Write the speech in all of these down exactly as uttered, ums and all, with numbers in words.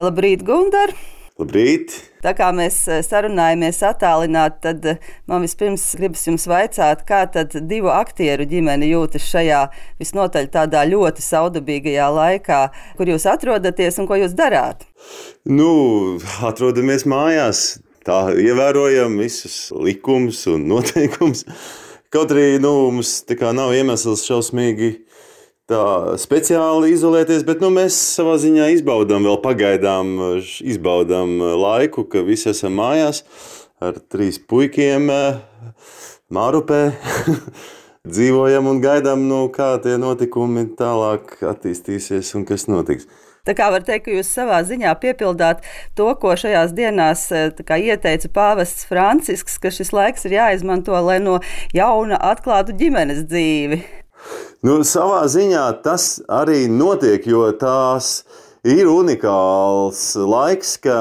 Labrīt, Gundar! Labrīt! Tā kā mēs sarunājamies attālināti, tad man vispirms gribas jums vaicāt, kā tad divu aktieru ģimene jūtas šajā visnotaļ tādā ļoti saudabīgajā laikā, kur jūs atrodaties un ko jūs darāt? Nu, atrodamies mājās, tā ievērojam visus likumus un noteikumus. Kaut arī nu, mums tā kā nav iemesls šausmīgi tā speciāli izolēties, bet nu, mēs savā ziņā izbaudām vēl pagaidām, izbaudām laiku, ka visi esam mājās ar trīs puikiem Mārupē. Dzīvojam un gaidām, nu, kā tie notikumi tālāk attīstīsies un kas notiks. Tā kā var teikt, ka jūs savā ziņā piepildāt to, ko šajās dienās kā, ieteica pāvests Francisks, ka šis laiks ir jāizmanto, lai no jauna atklātu ģimenes dzīvi. Nu, savā ziņā tas arī notiek, jo tās ir unikāls laiks, ka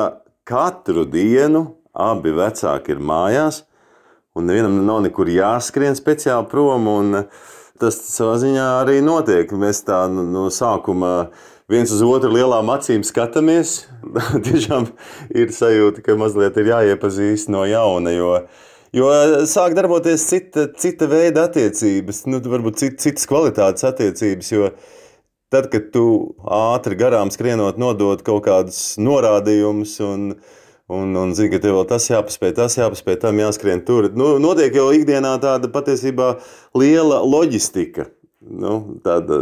katru dienu abi vecāki ir mājās, un nevienam nav nekur jāskrien speciāli prom, un tas savā ziņā arī notiek. Mēs tā no sākuma viens uz otru lielām acīm skatāmies. Tiešām ir sajūta, ka mazliet ir jāiepazīst no jauna, jo Jo sāk darboties cita, cita veida attiecības, nu, varbūt cit, citas kvalitātes attiecības, jo tad, kad tu ātri garām skrienot nodod kaut kādus norādījumus un, un, un zini, ka tev vēl tas jāpaspēj, tas jāpaspēj, tam jāskrien tur, nu, notiek jau ikdienā tāda patiesībā liela loģistika, nu, tāda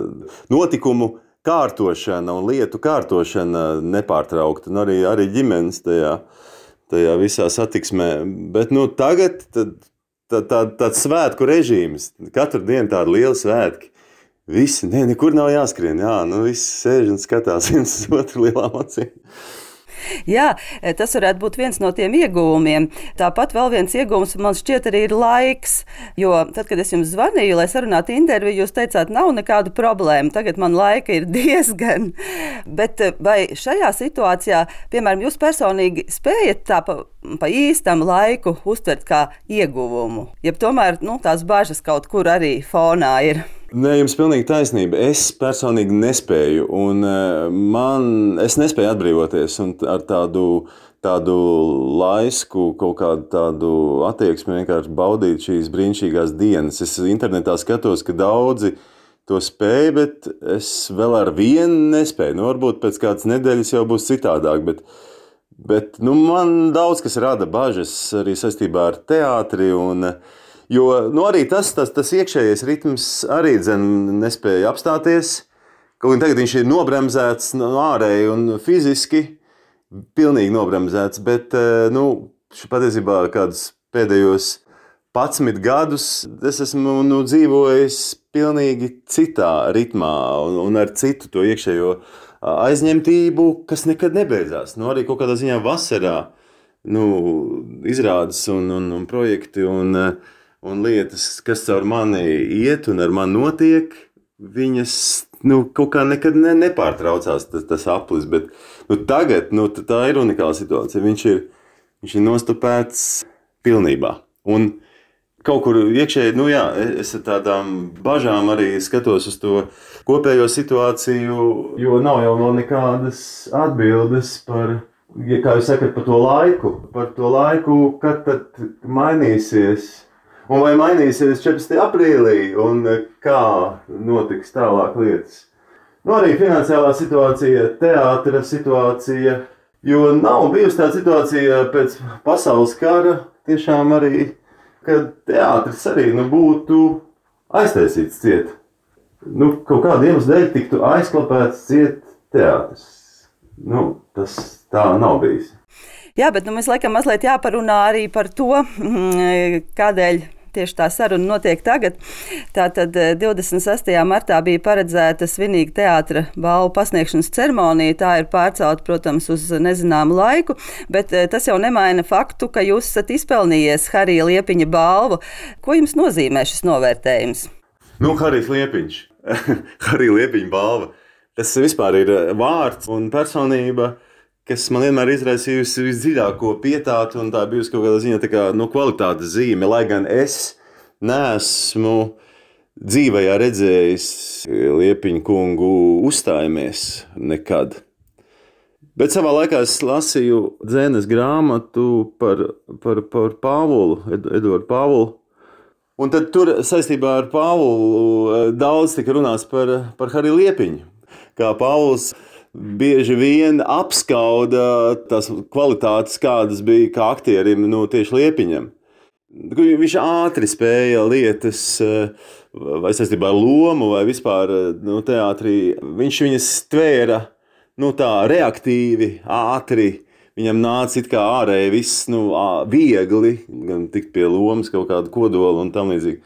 notikumu kārtošana un lietu kārtošana nepārtraukta, un arī, arī ģimenes tajā. tajā visā satiksmē. Bet nu, tagad tad, tā, tā, tāds svētku režīms, katru dienu tādi lieli svētki. Visi, ne, nekur nav jāskrien, jā, nu visi sēž un skatās viens uz otru lielām acīm. Jā, tas varētu būt viens no tiem ieguvumiem. Tāpat vēl viens ieguvums man šķiet arī ir laiks, jo tad, kad es jums zvanīju, lai sarunātu interviju, jūs teicāt, nav nekādu problēmu, tagad man laika ir diezgan. Bet vai šajā situācijā, piemēram, jūs personīgi spējat tā pa, pa īstam laiku uztvert kā ieguvumu? Ja tomēr nu, tās bažas kaut kur arī fonā ir? Nē, jums pilnīgi taisnība. Es personīgi nespēju, un man, es nespēju atbrīvoties un ar tādu, tādu laisku, kaut kādu tādu attieksmi vienkārši baudīt šīs brīnišķīgās dienas. Es internetā skatos, ka daudzi to spēj, bet es vēl ar vienu nespēju. Nu, varbūt pēc kādas nedēļas jau būs citādāk, bet, bet nu, man daudz kas rada bažas arī saistībā ar teātri un Jo nu, arī tas, tas, tas iekšējais ritms arī dzen, nespēja apstāties. Kaut gan tagad viņš ir nobremzēts no ārēji un fiziski, pilnīgi nobremzēts, bet nu, patiesībā kādus pēdējos padsmit gadus es esmu nu, dzīvojis pilnīgi citā ritmā un, un ar citu to iekšējo aizņemtību, kas nekad nebeidzās. Nu, arī kaut kādā ziņā vasarā nu, izrādes un, un, un projekti un Un lietas, kas caur mani iet un ar mani notiek, viņas nu, kaut kā nekad ne, nepārtraucās tas, tas aplis. Bet nu, tagad nu, tā ir unikāla situācija. Viņš ir, viņš ir nostupēts pilnībā. Un kaut kur iekšēji, nu jā, es ar tādām bažām arī skatos uz to kopējo situāciju, jo nav jau vēl nekādas atbildes par, ja kā jūs sakat, par to laiku. Par to laiku, kad tad mainīsies. Un vai mainīsies četrdesmitajā aprīlī, un kā notiks tālāk lietas. Nu, arī finansiālā situācija, teātra situācija, jo nav bijusi tāda situācija pēc pasaules kara, tiešām arī, kad teātris arī nu, būtu aiztaisīts ciet. Nu, kaut kādu iemeslu dēļ tiktu aizklapēts ciet teātris. Nu, tas tā nav bijis. Jā, bet nu, mēs laikam mazliet jāparunā arī par to, kādēļ tieši tā saruna notiek tagad. Tātad divdesmit sestajā martā bija paredzēta svinīga teātra balvu pasniegšanas ceremonija. Tā ir pārcelta, protams, uz nezināmu laiku, bet tas jau nemaina faktu, ka jūs esat izpelnījies Harija Liepiņa balvu. Ko jums nozīmē šis novērtējums? Nu, Harijs Liepiņš. Harija Liepiņa balva. Tas vispār ir vārds un personība, kas man vienmēr izraisījusi visdziļāko pietātu, un tā bijusi kaut kādā ziņā tā kā, nu, kvalitātes zīme, lai gan es neesmu dzīvajā redzējis Liepiņa kungu uzstājamies nekad. Bet savā laikā es lasīju dzēnes grāmatu par, par, par Pāvulu, Eduardu Pāvulu. Un tad tur saistībā ar Pāvulu daudz tika runāts par, par Hariju Liepiņu. Kā Pāvils bieži vien apskauda tās kvalitātes, kādas bija kā aktierim, nu, tieši Liepiņam. Viņš ātri spēja lietas, vai saistībā ar lomu, vai vispār nu, teātrī. Viņš viņas tvēra nu, tā reaktīvi, ātri. Viņam nāca it kā ārēji viss nu, viegli, gan tikt pie lomas kaut kādu kodolu un tam līdzīgi.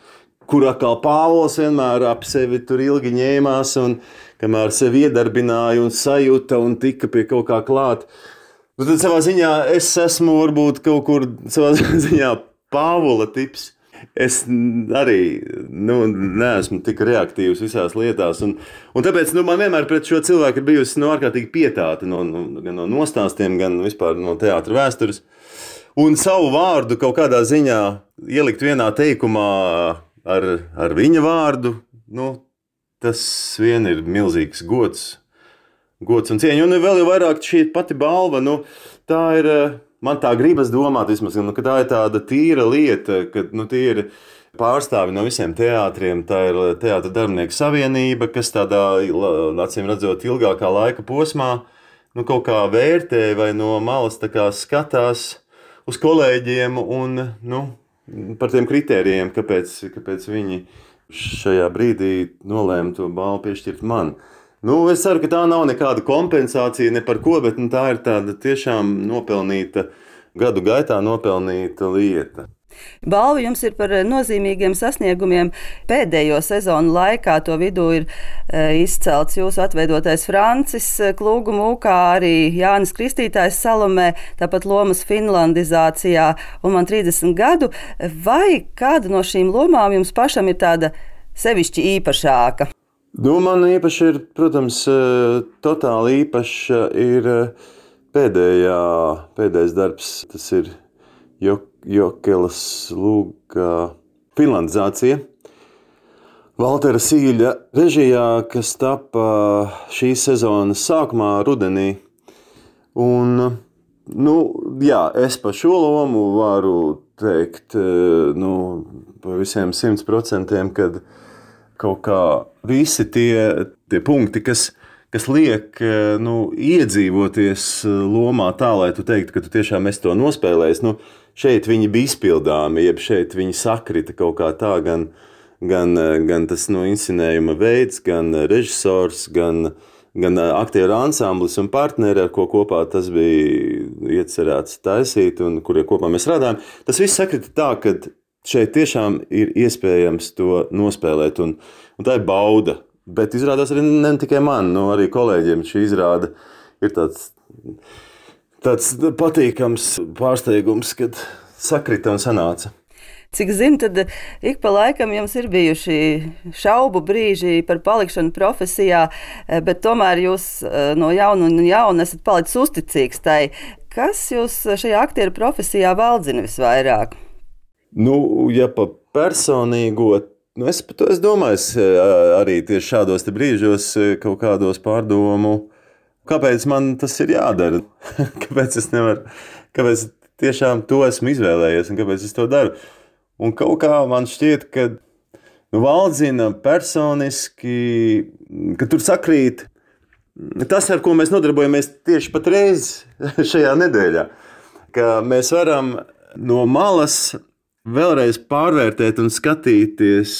Kur atkal Pāvils vienmēr ap sevi tur ilgi ņēmās un kamēr sevi iedarbināja un sajūta un tika pie kaut kā klāt. Nu, tad savā ziņā es esmu varbūt kaut kur savā ziņā Pāvula tips. Es arī nu, neesmu tik reaktīvs visās lietās. Un, un tāpēc nu, man vienmēr pret šo cilvēku ir bijusi nu, ārkārtīgi pietāta no, no, gan no nostāstiem, gan vispār no teātra vēstures. Un savu vārdu kaut kādā ziņā ielikt vienā teikumā ar, ar viņa vārdu, nu, tas vien ir milzīgs gods, gods un cieņa. Un vēl jau vairāk šī pati balva, nu, tā ir... Man tā gribas domāt, vismaz, nu, ka tā ir tāda tīra lieta, ka nu, tie ir pārstāvi no visiem teātriem. Tā ir Teātra darbinieku savienība, kas tādā, acīm redzot, ilgākā laika posmā nu, kaut kā vērtē vai no malas tā kā skatās uz kolēģiem un nu, par tiem kritērijiem, kāpēc, kāpēc viņi šajā brīdī nolēma to balvu piešķirt man. Nu, es ceru, ka tā nav nekāda kompensācija ne par ko, bet nu, tā ir tāda tiešām nopelnīta, gadu gaitā nopelnīta lieta. Balva jums ir par nozīmīgiem sasniegumiem pēdējo sezonu laikā. To vidū ir izcelts jūsu atveidotais Francis Klūgu mūkā, arī Jānis Kristītājs Salomē, tāpat lomas finlandizācijā un man trīsdesmit gadu. Vai kāda no šīm lomām jums pašam ir tāda sevišķi īpašāka? Nu, man īpaši ir, protams, totāli īpaša ir pēdējā, pēdējais darbs. Tas ir Jokelas Lūga finlandizācija. Valtera Sīļa režijā, kas tapa šīs sezonas sākumā rudenī. Un, nu, jā, es par šo lomu varu teikt, nu, par visiem simts procentiem, kad kaut kā visi tie, tie punkti, kas, kas liek nu, iedzīvoties lomā tā, lai tu teiktu, ka tu tiešām esi to nospēlējis. Nu, šeit viņi bija izpildāmi, jeb šeit viņi sakrita kaut kā tā, gan, gan, gan tas no inscenējuma veids, gan režisors, gan, gan aktieru ansamblis un partneri, ar ko kopā tas bija iecerēts taisīt un kurie kopā mēs strādājam. Tas viss sakrita tā, ka šeit tiešām ir iespējams to nospēlēt, un, un tā ir bauda. Bet izrādās arī ne tikai man, no arī kolēģiem šī izrāda ir tāds, tāds patīkams pārsteigums, kad sakrita un sanāca. Cik zinu, tad ik pa laikam jums ir bijuši šaubu brīži par palikšanu profesijā, bet tomēr jūs no jauna un jauna esat palicis uzticīgs tai. Kas jūs šajā aktieru profesijā valdzina visvairāk? Nu, ja pa personīgo, nu es par to es domāju, es arī tieši šādos te brīžos kaut kādos pārdomu, kāpēc man tas ir jādara, kāpēc es nevaru, kāpēc tiešām to esmu izvēlējies un kāpēc es to daru. Un kaut kā man šķiet, ka nu, valdzina personiski, ka tur sakrīt tas, ar ko mēs nodarbojamies tieši patreiz šajā nedēļā, ka mēs varam no malas vēlreiz pārvērtēt un skatīties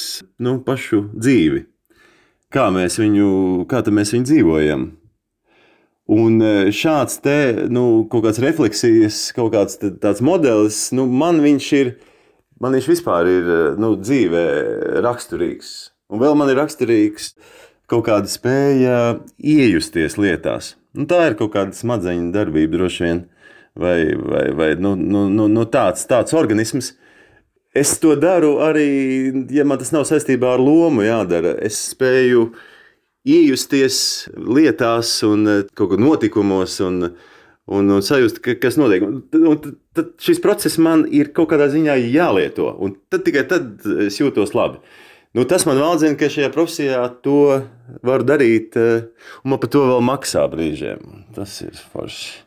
nu, pašu dzīvi. Kā mēs viņu, kā mēs viņu dzīvojam. Un šāds te, nu, kaut kāds refleksijas, kaut kāds tāds modelis, nu, man viņš ir, man viņš vispār ir nu, dzīvē raksturīgs. Un vēl man ir raksturīgs kaut kāda spēja iejusties lietās. Nu, tā ir kaut kāda smadzeņu darbība droši vien, vai, vai, vai nu, nu, nu, tāds, tāds organisms. Es to daru arī, ja man tas nav saistībā ar lomu jādara. Es spēju iejusties lietās un kaut kā notikumos un, un, un sajust, kas notiek. Un tad šis process man ir kaut kādā ziņā jālieto. Un tad tikai tad es jūtos labi. Nu, tas man valdzina, ka šajā profesijā to var darīt, un man par to vēl maksā brīžiem. Tas ir forši.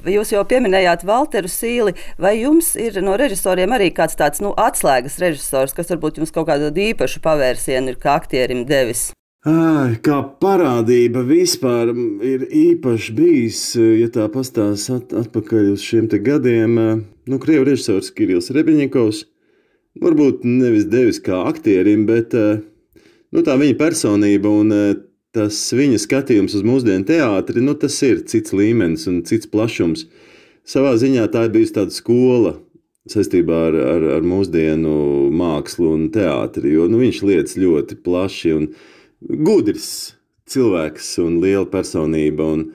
Jūs jau pieminējāt Valteru Sīli, vai jums ir no režisoriem arī kāds tāds nu, atslēgas režisors, kas varbūt jums kaut kādu īpašu pavērsienu ir kā aktierim devis? Ai, kā parādība vispār ir īpaši bijis, ja tā pastāst at, atpakaļ uz šiem te gadiem. Nu, krievu režisors Kirills Rebņikovs, varbūt nevis devis kā aktierim, bet nu, tā viņa personība un tas viņa skatījums uz mūsdienu teātri, nu, tas ir cits līmenis un cits plašums. Savā ziņā tā ir bijusi tāda skola saistībā ar, ar, ar mūsdienu mākslu un teātri, jo nu, viņš lietas ļoti plaši un gudrs cilvēks un liela personība. Un,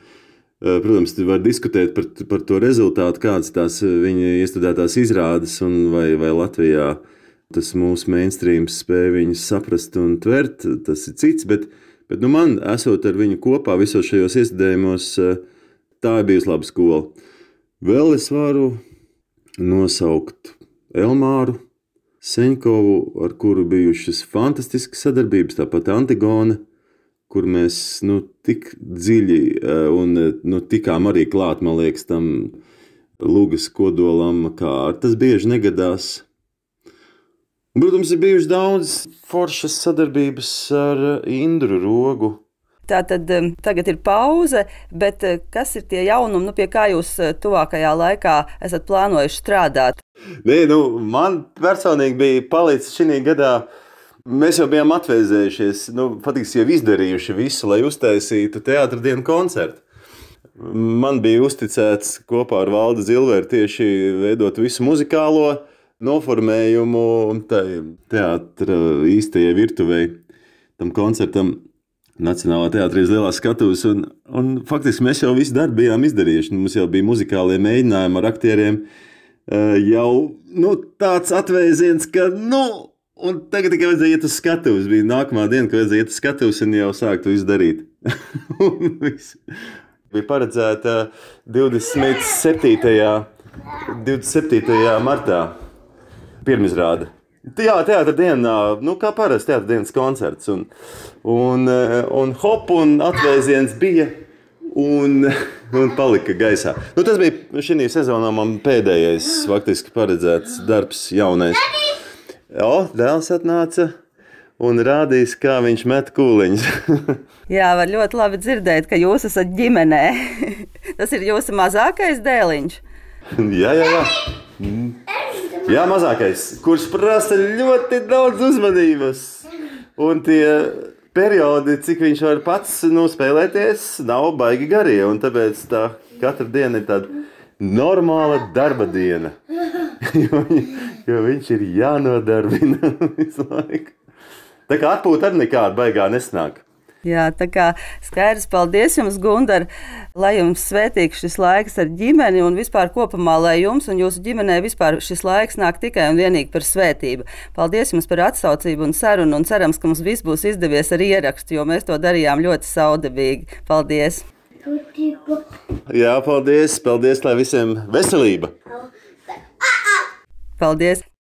protams, var diskutēt par, par to rezultātu, kādas tās viņa iestudētās izrādes un vai, vai Latvijā tas mūsu mainstreams spēja viņus saprast un tvert, tas ir cits, bet Bet nu, man, esot ar viņu kopā visos šajos iestudējumos, tā ir bijusi laba skola. Vēl es varu nosaukt Elmāru Seņkovu, ar kuru bijušas fantastiskas sadarbības, tāpat Antigone, kur mēs nu, tik dziļi un nu, tikām arī klāt, man liekas, tam lugas kodolam, kā tas bieži negadās. Protams, ir bijuši daudz foršas sadarbības ar Indru Rogu. Tātad tagad ir pauze, bet kas ir tie jaunumi, nu, pie kā jūs tuvākajā laikā esat plānojuši strādāt? Nē, nu, man personīgi bija palicis šī gadā, mēs jau bijām atvēzējušies, nu, faktiski jau izdarījuši visu, lai uztaisītu teātra dienu koncertu. Man bija uzticēts kopā ar Valdu Zilveru tieši veidot visu muzikālo noformējumu un teātra īstajai virtuvei, tam koncertam Nacionālā teātrī uz lielās skatuves. Un, un faktiski mēs jau visu darbu bijām izdarījuši. Mums jau bija muzikālie mēģinājumi ar aktieriem. Jau nu, tāds atvēziens, ka nu, un tagad tikai vajadzēja iet uz skatuves. Bija nākamā diena, ka vajadzēja iet uz skatuves un jau sākt to izdarīt. Bija paredzēta divdesmit septītajā martā. Pirmizrāde. Jā, teātra dienā, nu kā parasti teātra dienas koncerts. Un, un, un hop un atvēziens bija un, un palika gaisā. Nu, tas bija šī sezonā man pēdējais faktiski paredzēts darbs jaunais. O, dēls atnāca un rādīs, kā viņš met kūliņus. Jā, var ļoti labi dzirdēt, ka jūs esat ģimenē. Tas ir jūsu mazākais dēliņš. Jā, jā, jā. Jā, mazākais, kurš prasa ļoti daudz uzmanības. Un tie periodi, cik viņš var pats nospēlēties, nav baigi garie. Un tāpēc tā katra diena ir tāda normāla darba diena. jo, jo viņš ir jānodarbina visu laiku. Tā kā atpūta arī nekāda baigā nesnāk. Jā, tā kā skaidrs, paldies jums, Gundar, lai jums svētīgs šis laiks ar ģimeni un vispār kopumā, lai jums un jūsu ģimenē vispār šis laiks nāk tikai un vienīgi par svētību. Paldies jums par atsaucību un sarunu un cerams, ka mums viss būs izdevies ar ierakstu, jo mēs to darījām ļoti saudabīgi. Paldies! Jā, paldies! Paldies, lai visiem veselība! Paldies!